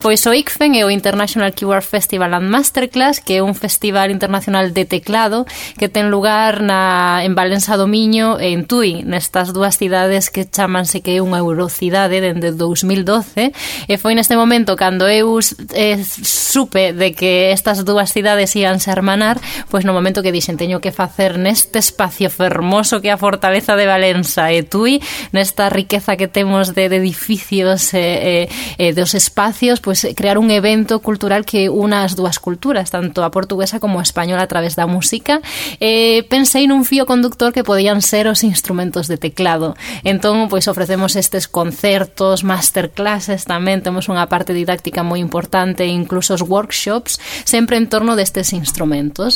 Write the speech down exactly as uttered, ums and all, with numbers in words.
Pois o I C F E N é o International Keyboard Festival and Masterclass, que é un festival internacional de teclado que ten lugar na, en Valença do Miño e en Tui, nestas dúas cidades que chamanse que é unha eurocidade dende dous mil doce, e foi neste momento cando eu eh, supe de que estas dúas cidades ian se hermanar, pois no momento que dixen teño que facer neste espacio fermoso que é a Fortaleza de Valença e Tui, nesta riqueza que temos de, de edificios e eh, eh, dos espacios, pois crear un evento cultural que una as dúas culturas, tanto a portuguesa como a española a través da música. Eh, pensei nun fío conductor que podían ser os instrumentos de teclado. Entón, pois ofrecemos estes concertos, masterclasses tamén, temos unha parte didáctica moi importante, incluso os workshops, sempre en torno destes instrumentos.